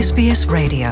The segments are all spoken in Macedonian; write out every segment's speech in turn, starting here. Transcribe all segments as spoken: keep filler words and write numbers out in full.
Ес Би Ес Radio.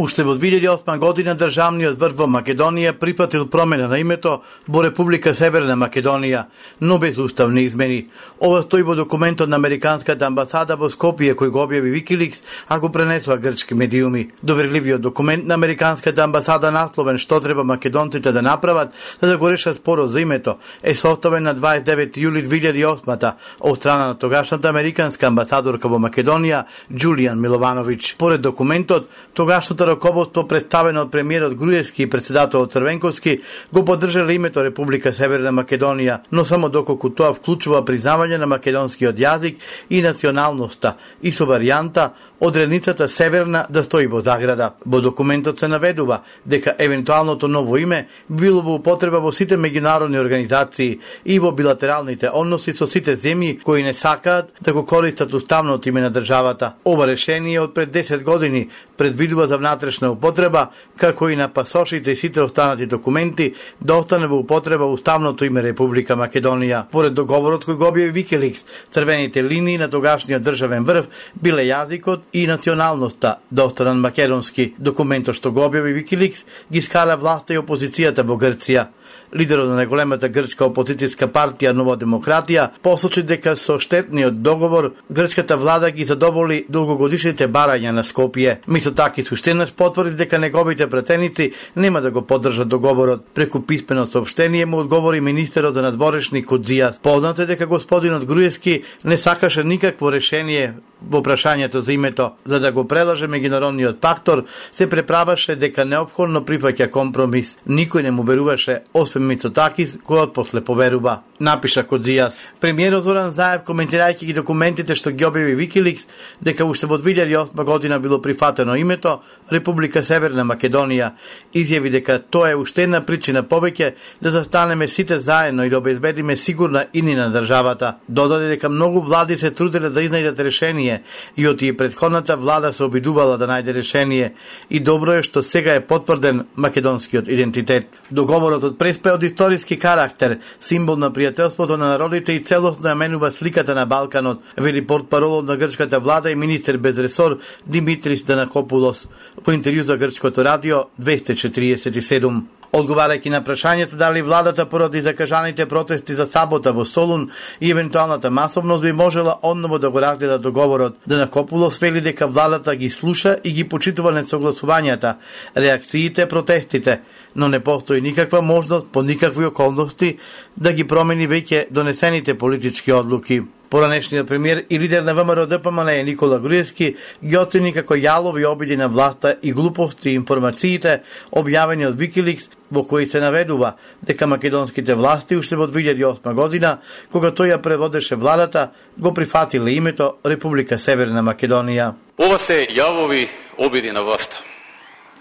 Уште во две илјади и осма година државниот врв во Македонија прифатил промена на името во Република Северна Македонија, но без уставни измени. Ова стои во документот на Американската амбасада во Скопје кој го објави Викиликс, а го пренесоа грчки медиуми. Доверливиот документ на Американската амбасада насловен што треба македонците да направат за да го решат спорот за името е составен на дваесет и девети јули две илјади и осма од страна на тогашната американска амбасадорка во Македонија Џулијан Миловановиќ. Поред документот, тогашното раководство представено од премиерот Груевски и председателот Црвенковски го поддржале името Република Северна Македонија, но само доколку тоа вклучува признавање на македонскиот јазик и националноста и со варијанта одредницата Северна да стои во заграда. Во документот се наведува дека евентуалното ново име било во употреба во сите меѓународни организации и во билатералните односи со сите земји кои не сакаат да го користат уставното име на државата. Ова решение од пред десет години предвидува за внатрешна употреба, како и на пасошите и сите останати документи, да остане во употреба уставното име Република Македонија. Поред договорот кој го објави Викиликс, црвените линии на тогашниот државен врв биле јазикот и националноста да останат македонски. Документот што го објави Викиликс ги скара власта и опозицијата во Грција. Лидерот на најголемата грчка опозицијска партија Нова демократија посочи дека со штетниот договор грчката влада ги задоволи долгогодишните барања на Скопје. Мицотакис уште потврди дека неговите пратеници нема да го поддржат договорот. Преку писмено соопштение му одговори министерот за надворешни Кодзијас. Познато е дека господинот Груевски не сакаше никакво решение во прашањето за името, за да го прелаже меѓународниот фактор, се преправаше дека неопходно прифаќа компромис. Никој не му веруваше, освен Мицотакис, кој после поверува, напиша Кодзијас. Премиерот Зоран Заев, коментирајќи ги документите што ги објави Викиликс, дека уште во две илјади и осма година било прифатено името Република Северна Македонија, изјави дека тоа е уште една причина повеќе да застанеме сите заедно и да обезбедиме сигурна иднина на државата. Додаде дека многу влади се труделе да изнајдат решение и од и претходната влада се обидувала да најде решение и добро е што сега е потврден македонскиот идентитет. Договорот од Преспа е од историски карактер, символ на пријателството на народите и целосно ја менува сликата на Балканот, вели портпаролот на грчката влада и министер без ресор Димитрис Данакопулос во интервју за грчкото радио двеста четириесет и седум. Одговарајќи на прашањето дали владата поради закажаните протести за сабота во Солун и евентуалната масовност би можела одново да го разгледа договорот, Данакопулос вели дека владата ги слуша и ги почитува несогласувањата, реакциите, протестите, но не постои никаква можност по никакви околности да ги промени веќе донесените политички одлуки. Поранешниот премиер и лидер на ВМРО Д П М Н Никола Груевски ги оцени како јалови обиди на власта и глупости и информациите објавени од Викиликс, во кои се наведува дека македонските власти уште во две илјади и осма година, кога тој ја преводеше владата, го прифатиле името Република Северна Македонија. Ова се јалови обиди на власта.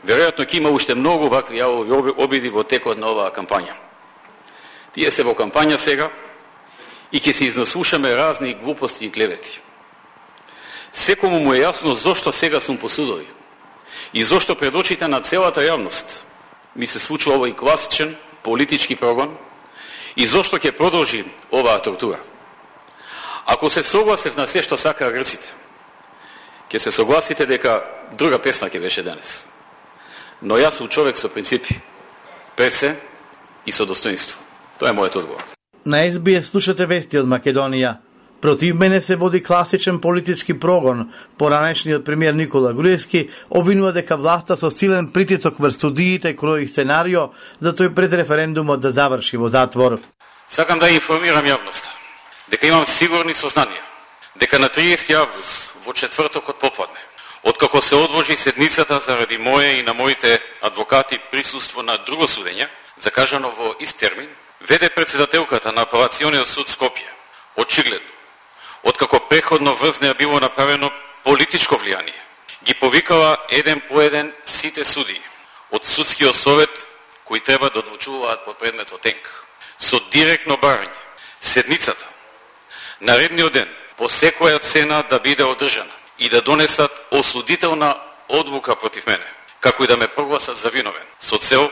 Веројатно ќе има уште многу вакви јалови обиди во текот на оваа кампања. Тие се во кампања сега и ќе се изнаслушаме разни глупости и клевети. Секому му е јасно зошто сега сум по судови и зошто пред очите на целата јавност ми се случува овој класичен политички прогон и зошто ќе продолжи оваа тортура. Ако се согласев на се што сакаа грците, ќе се согласите дека друга песна ќе беше денес. Но јас сум човек со принципи, пред се и со достоинство. Тоа е мојот одговор. На Ес Би Ес слушате вести од Македонија. Против мене се води класичен политички прогон. Поранешниот премиер Никола Груевски обвинува дека власта со силен притисок врз судиите крои сценарио за тој пред референдумот да заврши во затвор. Сакам да информирам јавноста дека имам сигурни сознанија дека на триесети август во четвртокот попладне, откако се одложи седницата заради моје и на моите адвокати присуство на друго судење, закажано во ист термин, веде председателката на Апелациониот суд Скопје, очигледно, откако преходно врз неа било направено политичко влијание, ги повикала еден по еден сите судии од судскиот совет кои треба да одлучуваат по предметот ТЕНК. Со директно барање, седницата, наредниот ден, по секоја цена да биде одржана и да донесат осудителна одлука против мене, како и да ме прогласат за виновен, со цел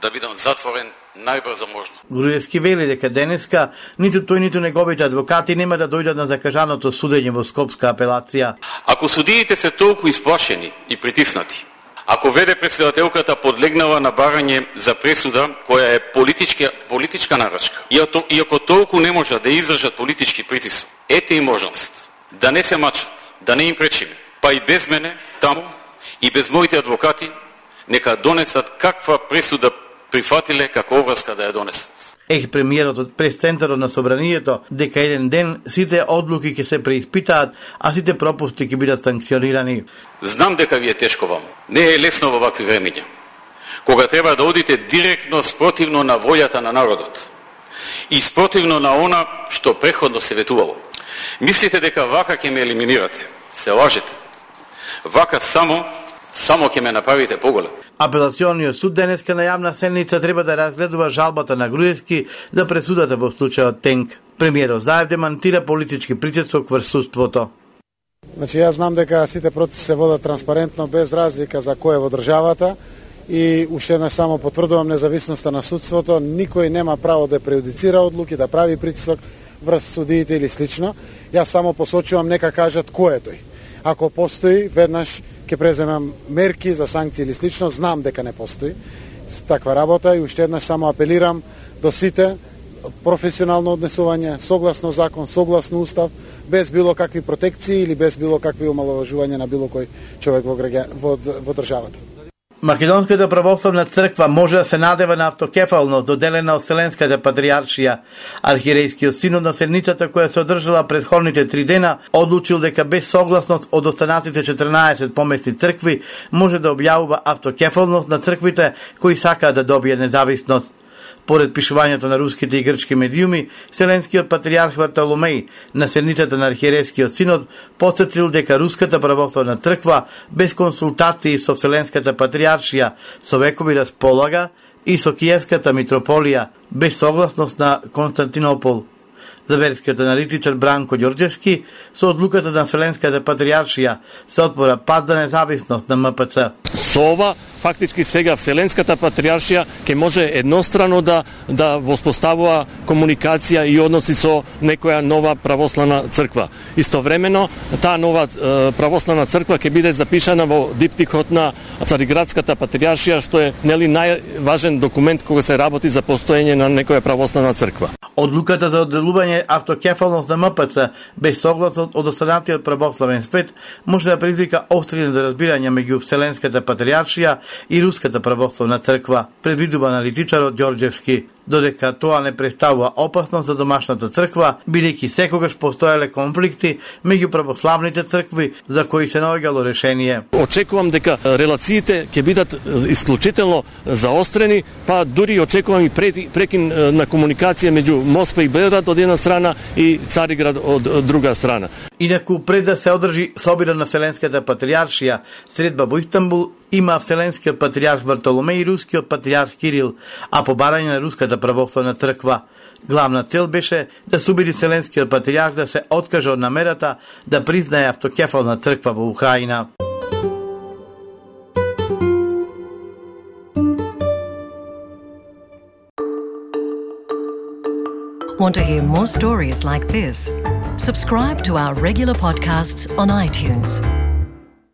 да бидам затворен најбрзо можно. Груевски вели дека денеска ниту тој ниту неговите адвокати нема да дојдат на закажаното судење во Скопска апелација. Ако судиите се толку исплашени и притиснати, ако веде председателката подлегнала на барање за пресуда која е политичка политичка нарачка, и ако толку не можат да издржат политички притисок, ете и можност да не се мачат, да не им пречиме, па и без мене таму и без моите адвокати нека донесат каква пресуда прифатиле како оврска да ја донесат. Ех, премиерот од прес-центарот на Собранието дека еден ден сите одлуки ќе се преиспитаат, а сите пропусти ќе бидат санкционирани. Знам дека ви е тешко вам. Не е лесно во вакви времиња. Кога треба да одите директно спротивно на волјата на народот и спротивно на она што преходно се ветувало. Мислите дека вака ќе ме елиминирате. Се лажете. Вака само само ќе ме направите поголем. Апелациониот суд денеска на јавна седница треба да разгледува жалбата на Груевски за пресудата во случајот Тенк. Премиерот Заев демантира политички притисок врз судството. Значи, јас знам дека сите процеси се водат транспарентно, без разлика за кој е во државата, и уште еднаш само потврдувам независноста на судството. Никој нема право да прејудицира одлуки, да прави притисок врз судиите или слично. Јас само посочувам, нека кажат кој е тој. Ако постои, веднаш ќе преземам мерки за санкции или слично. Знам дека не постои таква работа и уште еднаш само апелирам до сите професионално однесување, согласно закон, согласно устав, без било какви протекции или без било какви омаловажувања на било кој човек во, граѓа, во, во државата. Македонската православна црква може да се надева на автокефалност доделена од Вселенската патриаршија. Архиерејскиот синод на седницата која се одржала претходните три дена одлучил дека без согласност од останатите четрнаесет поместни цркви може да објавува автокефалност на црквите кои сакаат да добијат независност. Поред пишувањето на руските и грчки медиуми, Вселенскиот патриарх Вартоломеј на седницата на Архиерейскиот синод потсетил дека Руската православна црква без консултации со Вселенската патриаршија со векови располага и со Киевската митрополија без согласност на Константинопол. За верскиот аналитичар Бранко Ѓорѓевски, со одлуката на Вселенската патриаршија се отвора пат за независност на М П Ц. Со ова фактички сега Вселенската патриаршија ќе може еднострано да да воспоставува комуникација и односи со некоја нова православна црква. Истовремено таа нова е, православна црква ќе биде запишана во диптихот на Цариградската патриаршија, што е нели најважен документ кога се работи за постоење на некоја православна црква. Одлуката за одделување автокефалност на М П Ц без согласност од останатиот православен свет може да предизвика остри недоразбирања меѓу Вселенската патриаршија и Руската православна црква, предвидува аналитичарот Ѓорѓевски, додека тоа не представува опасност за домашната црква, бидејќи секогаш постоеле конфликти меѓу православните цркви за кои се наоѓало решение. Очекувам дека релациите ќе бидат исклучително заострени, па дури очекувам и прекин на комуникација меѓу Москва и Белград од една страна и Цариград од друга страна. Инаку пред да се одржи собира на Вселенската патриаршија, средба во Истанбул има Вселенскиот патриарх Вартоломеј и Рускиот патриарх Кирил, а по барање на Руската православна црква. Главна цел беше да се убеди Вселенскиот патриарх да се откаже од намерата да признае автокефална црква во Украина. Want to hear more stories like this? Subscribe to our regular podcasts on iTunes.